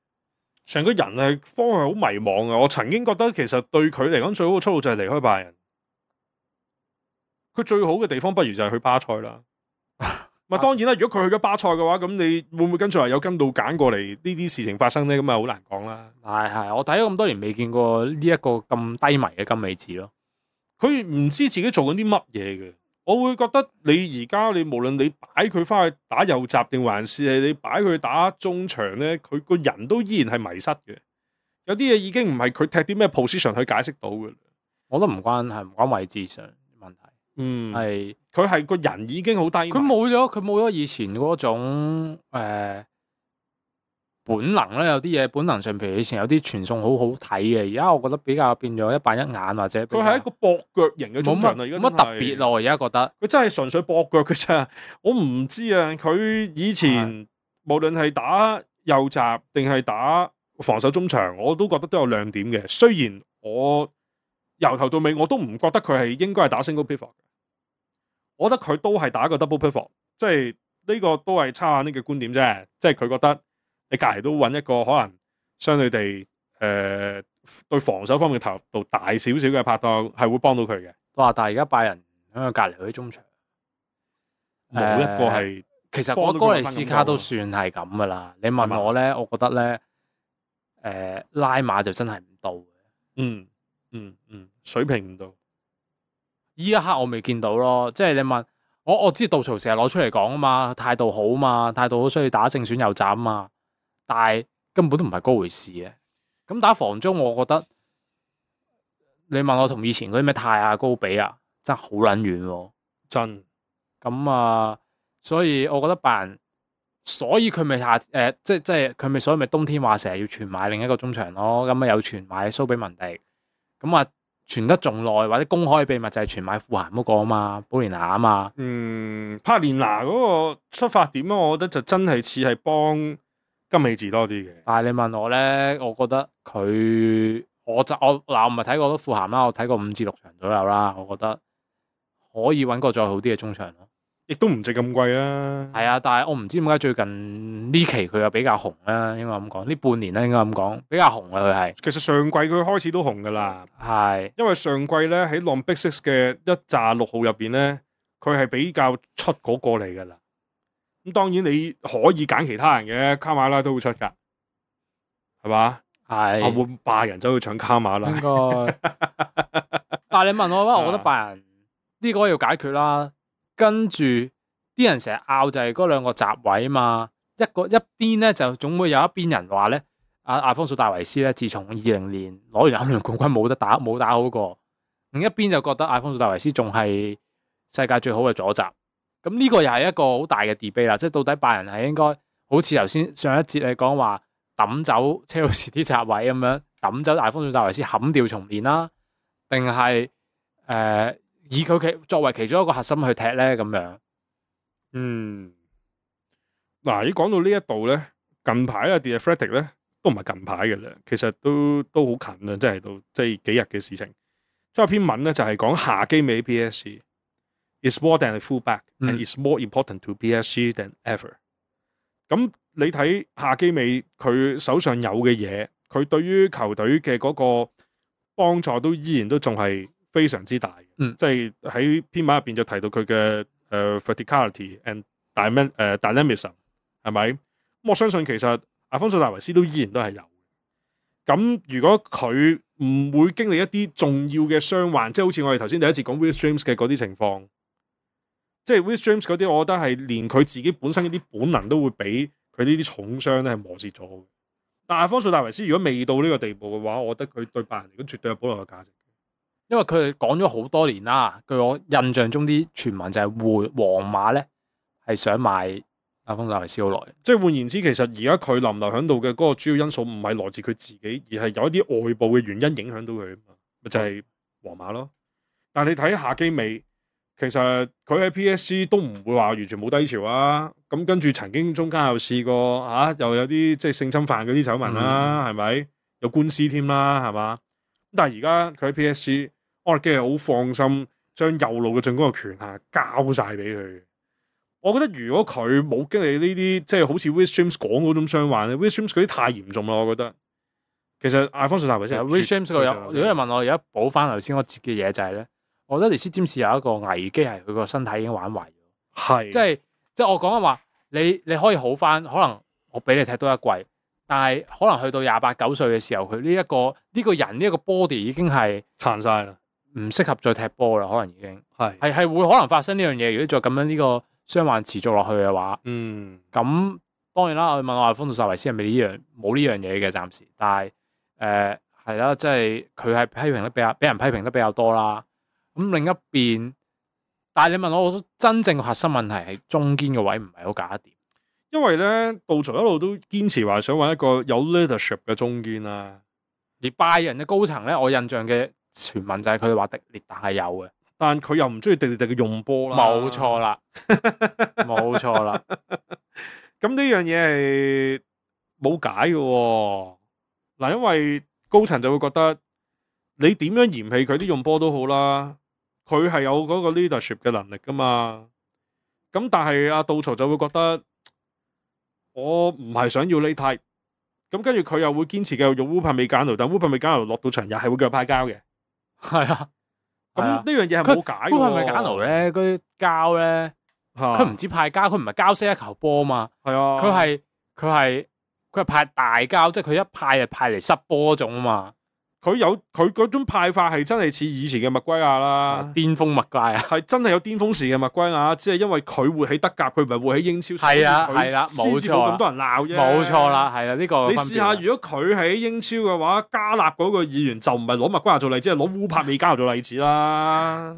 成個人係方向好迷茫嘅。我曾經覺得其實對佢嚟講最好嘅出路就係離開拜仁。佢最好嘅地方不如就係去巴塞啦。咪當然啦，如果佢去咗巴塞嘅話，咁你會唔會跟住話有跟到揀過嚟呢啲事情發生咧？咁啊好難講啦。係，我睇咗咁多年未見過呢一個咁低迷嘅金美治咯。佢唔知自己做緊啲乜嘢嘅。我會覺得你而家你無論你擺佢翻去打右閘定還是係你擺佢打中場咧，佢個人都依然係迷失嘅。有啲嘢已經唔係佢踢啲咩 position 去解釋到嘅。我覺得唔關位置上問題。係佢係個人已經好低迷。佢冇咗以前嗰種本能咧，有啲嘢本能上，譬如以前有啲傳送好好睇嘅，而家我覺得比較變咗一板一眼，或者佢係一個駁腳型嘅中場啦。而家冇乜特別咯，而家覺得佢真係純粹駁腳嘅啫。我唔知啊，佢以前無論係打右閘定係打防守中場，我都覺得都有亮點嘅。雖然我由頭到尾我都唔覺得佢係應該係打 single pivot 嘅，我覺得佢都係打一個 double pivot，即係呢個都係差眼呢嘅觀點啫。即係佢覺得你隔籬都揾一個可能相對地對防守方面投入度大少少嘅拍檔，係會幫到佢嘅。哇！但係而家拜仁喺佢隔籬嗰啲中場，冇一個係，其實我哥尼斯卡都算係咁噶啦。你問我咧，我覺得咧，拉馬就真係唔到嘅。水平唔到。依一刻我未見到咯，即係你問我知杜曹成日攞出嚟講啊嘛，態度好嘛，態度好需要打正選右閘啊嘛，但係根本都唔係嗰回事嘅。咁打防中，我覺得你問我同以前嗰啲咩泰亞高比啊，真係好撚遠喎，真。咁啊，所以我覺得拜仁，所以佢咪即係佢咪所以咪冬天話成日要傳買另一個中場咯，咁啊有傳買蘇比文迪，咁啊。傳得仲耐或者公開秘密就係傳買富咸嗰個啊嘛，保連拿啊嘛。帕連拿嗰個出發點我覺得就真係似係幫金美治多啲嘅。但係你問我咧，我覺得佢我唔係睇過都富咸啦，我睇過5至6場左右啦，我覺得可以揾個再好啲嘅中場咯。亦都唔值咁貴啊。係啊，但係我唔知點解最近呢期佢又比較紅啦，應該咁講，呢半年咧應該咁講比較紅啊佢係。其實上季佢開始都紅噶啦，係因為上季咧喺 Long Big Six 嘅一紮6號入邊咧，佢係比較出嗰個嚟噶啦。咁當然你可以揀其他人嘅，卡馬拉都會出噶，係嘛？係。我會拜仁走去搶卡馬拉。應該。但係你問我話，我覺得拜仁呢個要解決啦。跟住啲人成日拗就係嗰兩個閘位啊嘛，一邊咧就總會有一邊人話咧，阿方素戴維斯咧，自從2020年攞完歐聯冠軍冇打好過，另一邊就覺得阿方素戴維斯仲係世界最好嘅左閘，咁呢個又係一個好大嘅 debate 啦，即係到底拜仁係應該好似頭先上一節你講話抌走車路士啲閘位咁樣，抌走阿方素戴維斯冚掉重練啦，定係以佢作為其中一個核心去踢咧咁樣。嗱，如果講到呢一度咧，近排啊 The Athletic 咧都唔係近排嘅啦，其實都好近啦，即係到即係幾日嘅事情。即係有篇文咧就係講夏基美 PSG is more than a fullback and is more important to PSG than ever。咁你睇夏基美佢手上有嘅嘢，佢對於球隊嘅嗰個幫助都依然都仲係非常之大，即係喺篇文入邊就提到佢嘅verticality and dynamism 係咪？咁我相信其實阿方素戴維斯都依然都係有。咁如果佢唔會經歷一啲重要嘅傷患，即係好似我哋頭先第一次講 Will James 嘅嗰啲情況，即係 Will James 嗰啲，我覺得係連佢自己本身一啲本能都會俾佢呢啲重傷咧係磨蝕咗嘅。但阿方素戴維斯如果未到呢個地步嘅話，我覺得佢對拜仁嚟講絕對有保留嘅價值。因為佢哋講咗好多年啦，據我印象中啲傳聞就係皇馬咧係想買阿方素戴維斯好耐。即係換言之，其實而家佢留唔留喺度嘅嗰個主要因素唔係來自佢自己，而係有一啲外部嘅原因影響到佢啊嘛，咪就係皇馬咯。但係你睇夏基美，其實佢喺 PSG 都唔會話完全冇低潮啊。咁跟住曾經中間又試過又有啲即係性侵犯嗰啲醜聞啦，係咪？有官司添啦，係嘛？但係而家佢喺 PSG，安力基係好放心將右路嘅進攻嘅權限交晒俾佢。我覺得如果佢冇經歷呢啲即係好似 Reece James 講嗰種傷患咧 ，Reece James 嗰啲太嚴重啦，我覺得。其實阿方素戴維斯 Reece James 個有，如果你問我而家補翻頭先我接嘅嘢就係咧，我覺得尼斯詹士有一個危機係佢個身體已經玩壞咗。係，即係我講緊話，你可以好翻，可能我俾你踢多一季，但係可能去到28、9歲嘅時候，佢呢個人呢一個 body 已經係殘晒啦，唔適合再踢波啦，可能已經係會可能發生呢樣嘢。如果再咁樣呢個傷患持續落去嘅話，咁當然啦，我問我阿方素戴維斯係咪冇呢樣嘢嘅暫時，但係係啦，即係佢係批評得俾人批評得比較多啦。咁另一邊，但係你問我真正核心問題係中堅嘅位唔係好搞得掂，因為咧杜曹一路都堅持話想揾一個有 leadership 嘅中堅啦。而拜仁嘅高層咧，我印象嘅傳聞就係佢哋話迪列特係有嘅，但佢又唔中意迪列特嘅用波啦。冇錯啦，冇錯啦。咁呢樣嘢係冇解嘅喎。嗱，因為高層就會覺得你點樣嫌棄佢啲用波都好啦，佢係有嗰個 leadership 嘅能力噶嘛。咁但係阿杜曹就會覺得我唔係想要呢 type。咁跟住佢又會堅持繼續用烏帕美簡奴，但烏帕美簡奴落到場又係會繼續派膠嘅。係啊，咁呢樣嘢係冇解嘅。烏帕美簡奴咧，嗰啲膠咧，佢唔止派膠，佢唔係膠色一球波嘛。係啊，佢係派大膠，即係佢一派就派嚟塞波嗰種啊嘛。佢嗰種派法係真係似以前嘅麥圭亞啦，巔峰麥圭亞係真係有巔峰時嘅麥圭亞，只係因為佢會喺德甲，佢唔係會喺英超，係啦，冇錯，咁多人鬧啫，冇錯啦，係啦，呢個你試下，如果佢喺英超嘅話，加納嗰個議員就唔係攞麥圭亞做例子，係攞烏柏美加做例子啦，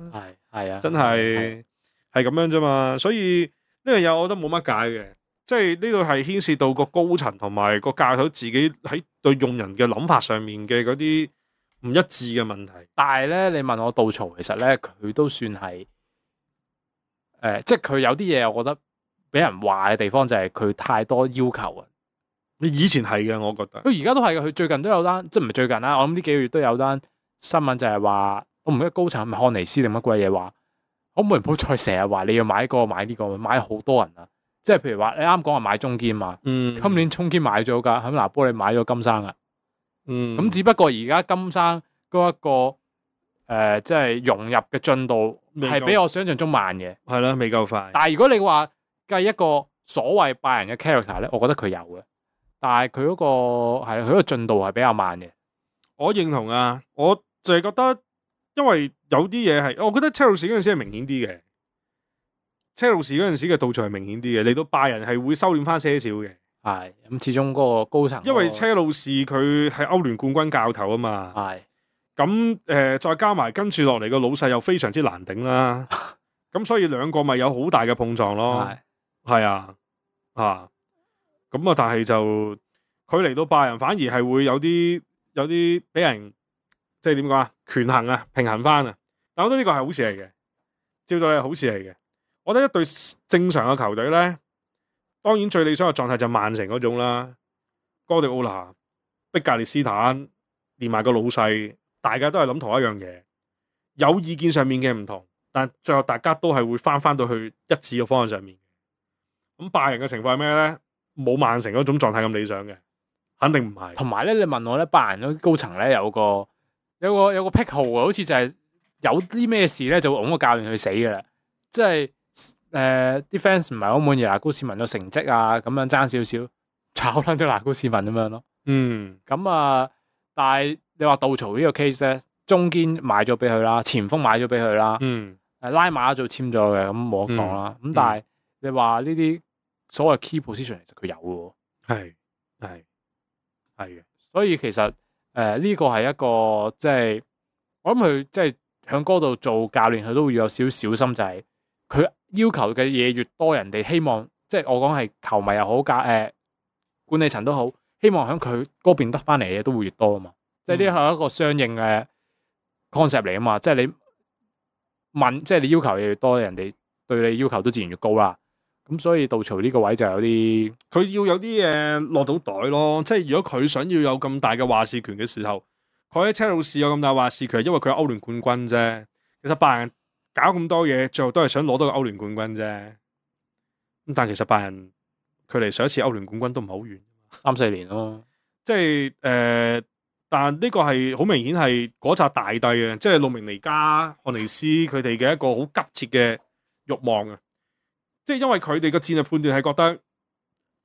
係啊，真係咁樣啫嘛，所以呢樣嘢我覺得冇乜解嘅，即係呢度係牽涉到個高層同埋個教頭自己喺對用人嘅諗法上面嘅嗰啲唔一致嘅問題。但係咧，你問我杜曹，其實咧佢都算係即係佢有啲嘢，我覺得俾人話嘅地方就係佢太多要求啊。你以前係嘅，我覺得佢而家都係嘅。佢最近都有單，即係唔係最近啦。我諗呢幾個月都有單新聞就係話，我唔記得高層係咪漢尼斯定乜鬼嘢話，可唔可以唔好再成日話你要買呢個買呢個，買好多人啊！即係譬如話你啱講話買中堅嘛，今年中堅買咗㗎，喺拿波利買咗金生啊，咁只不過而家金生嗰一個即係融入嘅進度係比我想象中慢嘅，係啦，未夠快。但係如果你話計一個所謂拜仁嘅 character 咧，我覺得佢有嘅，但係佢嗰個係佢個進度係比較慢嘅。我認同啊，我就係覺得，因為有啲嘢係，我覺得車路士嗰陣時係明顯啲嘅。車路士嗰陣時嘅杜曹係明顯啲嘅，嚟到拜仁係會收斂翻些少嘅。係咁，始終嗰個高層，因為車路士佢係歐聯冠軍教頭啊嘛。係咁再加埋跟住落嚟個老細又非常之難頂啦。咁所以兩個咪有好大嘅碰撞咯。係啊，咁啊，但係就佢嚟到拜仁反而係會有啲俾人即係點講啊，權衡啊，平衡翻啊。但我覺得呢個係好事嚟嘅，照到係好事嚟嘅。我覺得一隊正常嘅球隊咧，當然最理想嘅狀態就曼城嗰種啦，哥迪奧拿、碧格列斯坦連埋個老細，大家都係諗同一樣嘢，有意見上面嘅唔同，但最後大家都係會翻到去一致嘅方向上面。咁拜仁嘅情況係咩咧？冇曼城嗰種狀態咁理想嘅，肯定唔係。同埋咧，你問我咧，拜仁嗰高層咧有個癖好啊，好似就係有啲咩事咧就會拱個教練去死噶啦，即係。啲 fans 唔係好滿意拿高士文嘅成績啊，咁樣爭少少炒撚咗拿高士文咁樣咯。咁啊，但係你話杜曹呢個 case 咧，中堅買咗俾佢啦，前鋒買咗俾佢啦，拉馬做簽咗嘅，咁冇得講啦。咁但係你話呢啲所謂 key position 其實佢有嘅喎。係嘅，所以其實呢個係一個即係我諗佢即係喺嗰度做教練，佢都會要有少少小心，就係佢要求嘅嘢越多，人哋希望即係我講係球迷又好，管理層都好，希望喺佢嗰邊得翻嚟嘅嘢都會越多啊嘛。即係呢係一個相應嘅 concept 嚟啊嘛。即係即係你要求嘢越多，人哋對你要求都自然越高啦。咁所以杜曹呢個位就有啲，佢要有啲嘢落到袋咯。即係如果佢想要有咁大嘅話事權嘅時候，佢喺車路士有咁大話事權，因為佢係歐聯冠軍啫。其實拜仁搞咁多嘢，最後都係想攞到個歐聯冠軍啫。咁但其實拜仁距離上一次歐聯冠軍都唔係好遠3-4年咯。即係但呢個係好明顯係嗰紮大帝嘅，即係路明尼加、漢尼斯佢哋嘅一個好急切嘅慾望啊！即係因為佢哋嘅戰略判斷係覺得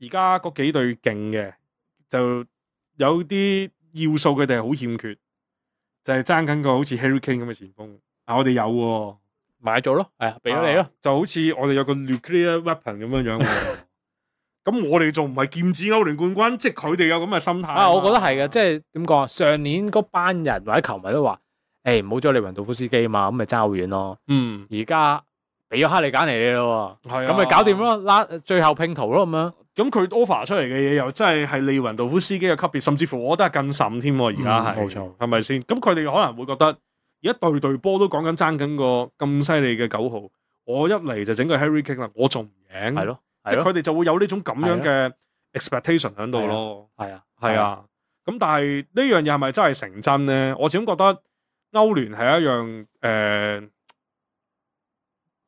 而家嗰幾隊勁嘅，就有啲要素佢哋係好欠缺，就係爭緊個好似 Harry Kane 咁嘅前鋒。我哋有喎，買咗咯，係啊，俾咗你咯，就好似我哋有個 nuclear weapon 咁樣樣喎。咁我哋仲唔係劍指歐聯冠軍？即係佢哋有咁嘅心態。我覺得係嘅，即係點講啊？上年嗰班人或者球迷都話：唔好咗利雲道夫斯基嘛，咁咪爭好遠咯。而家俾咗哈利簡尼你咯，咁咪搞掂咯，最後拼圖咯咁樣。咁佢 offer 出嚟嘅嘢又真係利雲道夫斯基嘅級別，甚至乎我覺得係更甚添。而家係冇錯，係咪先？咁佢哋可能會覺得而家隊波都講緊爭緊個咁犀利嘅9號，我一嚟就整個 Harry Kane 啦，我仲唔贏？係咯。即係佢哋就會有呢種咁樣嘅 expectation 喺度咯。係啊。咁但係呢樣嘢係咪真係成真咧？我始終覺得歐聯係一樣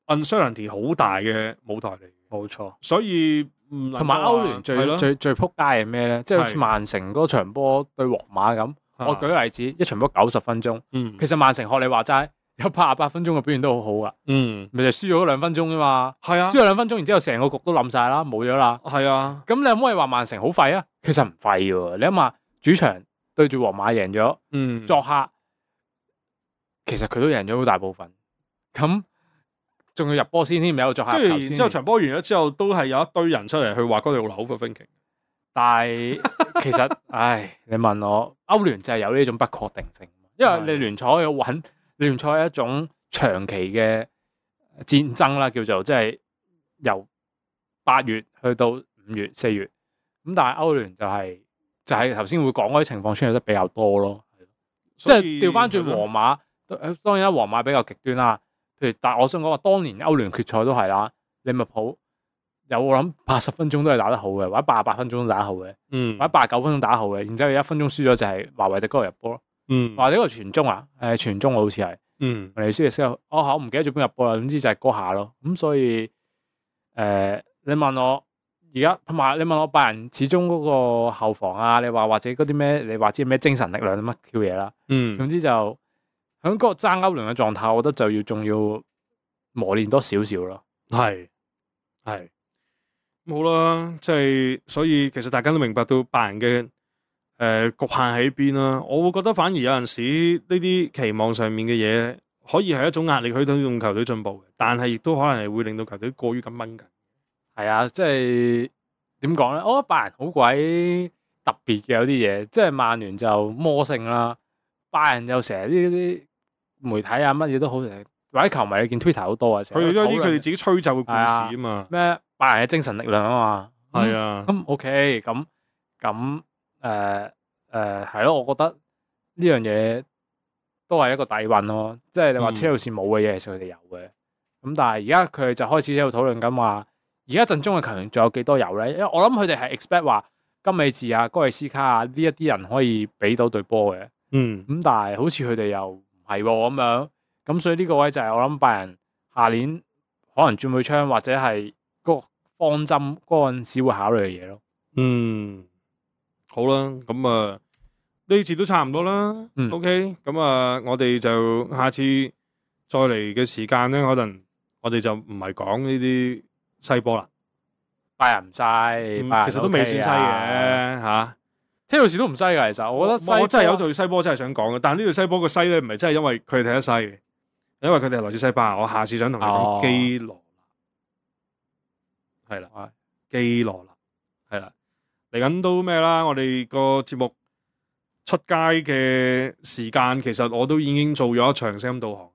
uncertainty 好大嘅舞台嚟。冇錯。所以同埋歐聯最撲街係咩咧？即係好似曼城嗰場波對皇馬咁。我舉個例子，一場波90分鐘。其實曼城學你話齋。有88分鐘嘅表現都好好噶，咪就輸咗2分鐘啫嘛。係啊，輸咗2分鐘，然之後成個局都冧晒啦，冇咗啦。係啊，咁你可唔可以話曼城好廢啊？其實唔廢嘅，你諗下主場對住皇馬贏咗，作客其實佢都贏咗好大部分，咁仲要入波先添，有作客。跟住然之後場波完咗之後，都係有一堆人出嚟去話嗰條好嘅分歧。但係其實，你問我歐聯就係有呢種不確定性，因為你聯賽要穩。聯賽係一種長期嘅戰爭啦，叫做即係由8月去到5月、4月，咁但係歐聯就係頭先會講嗰啲情況出現得比較多咯，即係調翻轉皇馬，當然啦，皇馬比較極端啦。譬如但係我想講話，當年歐聯決賽都係啦，利物浦有我諗80分鐘都係打得好嘅，或者88分鐘都打得好嘅，或者89分鐘打得好嘅，然之後1分鐘輸咗就係華維迪嗰個入波咯。話呢個傳中啊，傳中好似係，尼斯亦先，我唔記得咗邊入波啦，總之就係嗰下咯。咁所以，你問我而家，同埋你問我拜仁始終嗰個後防啊，你話或者嗰啲咩，你話知咩精神力量乜 Q 嘢啦，總之就喺嗰個爭歐聯嘅狀態，我覺得就仲要磨練多少少咯。係冇啦，即係所以其實大家都明白到拜仁嘅。局限喺邊啦，我會覺得反而有陣時呢啲期望上面嘅嘢，可以係一種壓力去推動球隊進步嘅，但係亦都可能係會令到球隊過於咁掹緊。係啊，即係點講咧？我覺得拜仁好鬼特別嘅有啲嘢，即係曼聯就魔性啦，拜仁又成日呢啲媒體啊乜嘢都好，或者球迷你見 Twitter 好多啊，佢哋都有啲佢哋自己吹奏嘅故事啊嘛。咩拜仁嘅精神力量啊嘛。係啊。咁 OK，咁。係咯，我覺得呢樣嘢都係一個底蘊咯，即係你話車路士冇嘅嘢，其實佢哋有嘅。咁但係而家佢哋就開始喺度討論緊話，而家陣中嘅球員仲有幾多有咧？因為我諗佢哋係 expect 話金美治啊、哥利斯卡啊呢一啲人可以俾到隊波嘅。咁但係好似佢哋又唔係咁樣，咁所以呢個位就係我諗拜仁下年可能轉會窗或者係個方針嗰陣時會考慮嘅嘢咯。好啦，咁呢次都差唔多啦。OK，咁我哋就下次再嚟嘅時間咧，可能我哋就唔係講呢啲西波啦。拜仁唔西，其實都未算西嘅嚇。車路士都唔西㗎，其實我覺得我真係有隊西波真係想講嘅，但係呢隊西波個西咧唔係真係因為佢哋踢得西嘅，因為佢哋係來自西班牙。我下次想同你講基羅，係啦。基羅納係啦，嚟緊都咩啦？我哋個節目出街嘅時間，其實我都已經做咗一場聲音導航。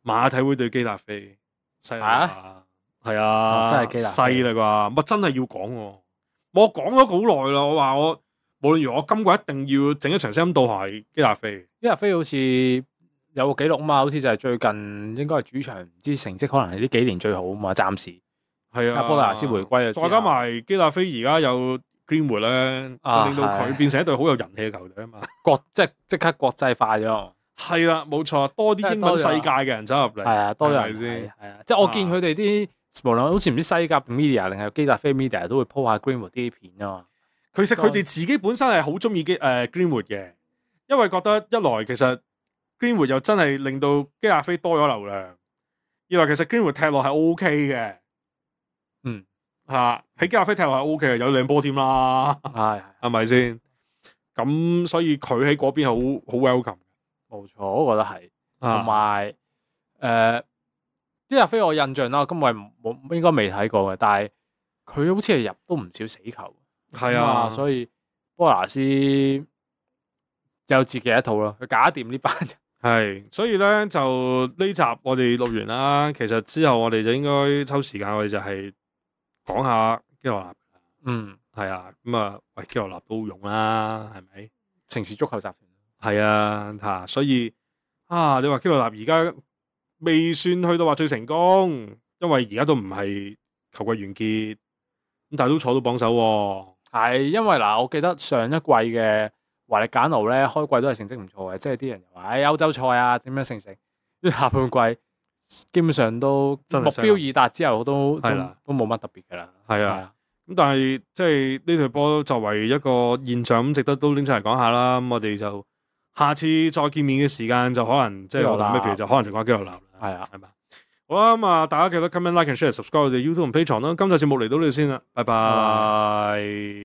馬體會對基達菲，犀利啊！係啊，真係基達菲犀利啩！乜真係要講喎？我講咗好耐啦，我話我無論如何，我今季一定要整一場聲音導航係基達菲。基達菲好似有個紀錄啊嘛，好似就係最近應該係主場，唔知成績可能係呢幾年最好啊嘛，暫時。係啊，波拿斯回歸啊，再加埋基達菲而家有 Greenwood 咧，就令到佢變成一隊好有人氣嘅球隊啊嘛。即刻國際化咗。係啦，冇錯，多啲英文世界嘅人走入嚟。係啊，多人先。係啊，即係我見佢哋啲無論好似唔知西甲 media 定係基達菲 media 都會 po 下 Greenwood 啲片啊嘛。其實佢哋自己本身係好中意Greenwood 嘅，因為覺得一來其實 Greenwood 又真係令到基達菲多咗流量，二來其實 Greenwood 踢落係 OK 嘅。喺基達菲踢落係 OK 嘅，有靚波添啦，係咪先？咁所以佢喺嗰邊係好 welcome。冇錯，我覺得係。同埋基達菲我印象啦，今季冇應該未睇過嘅，但係佢好似係入都唔少死球。係啊，所以波拿斯有自己一套咯，佢搞掂呢班人。係，所以咧就呢集我哋錄完啦，其實之後我哋就應該抽時間，我哋就係講下基羅納。係啊，咁啊，喂，基羅納都好用啦，係咪？城市足球集團。係啊，所以你話基羅納而家未算去到話最成功，因為而家都唔係球季完結，咁但係都坐到榜首喎。係，因為嗱，我記得上一季嘅華力簡奴咧，開季都係成績唔錯嘅，即係啲人又話歐洲賽啊點樣成，下半季基本上都目標已達之後都冇乜特別㗎啦。係啊，咁但係即係呢隊波作為一個現象咁，值得都拎出嚟講下啦。咁我哋就下次再見面嘅時間就可能即係我諗咩就可能就講基羅納啦。係啊，係嘛？好啦，咁啊，大家記得 comment、like and share、subscribe 我哋 YouTube 同 Patreon 啦。今集節目嚟到呢度先啦，拜拜。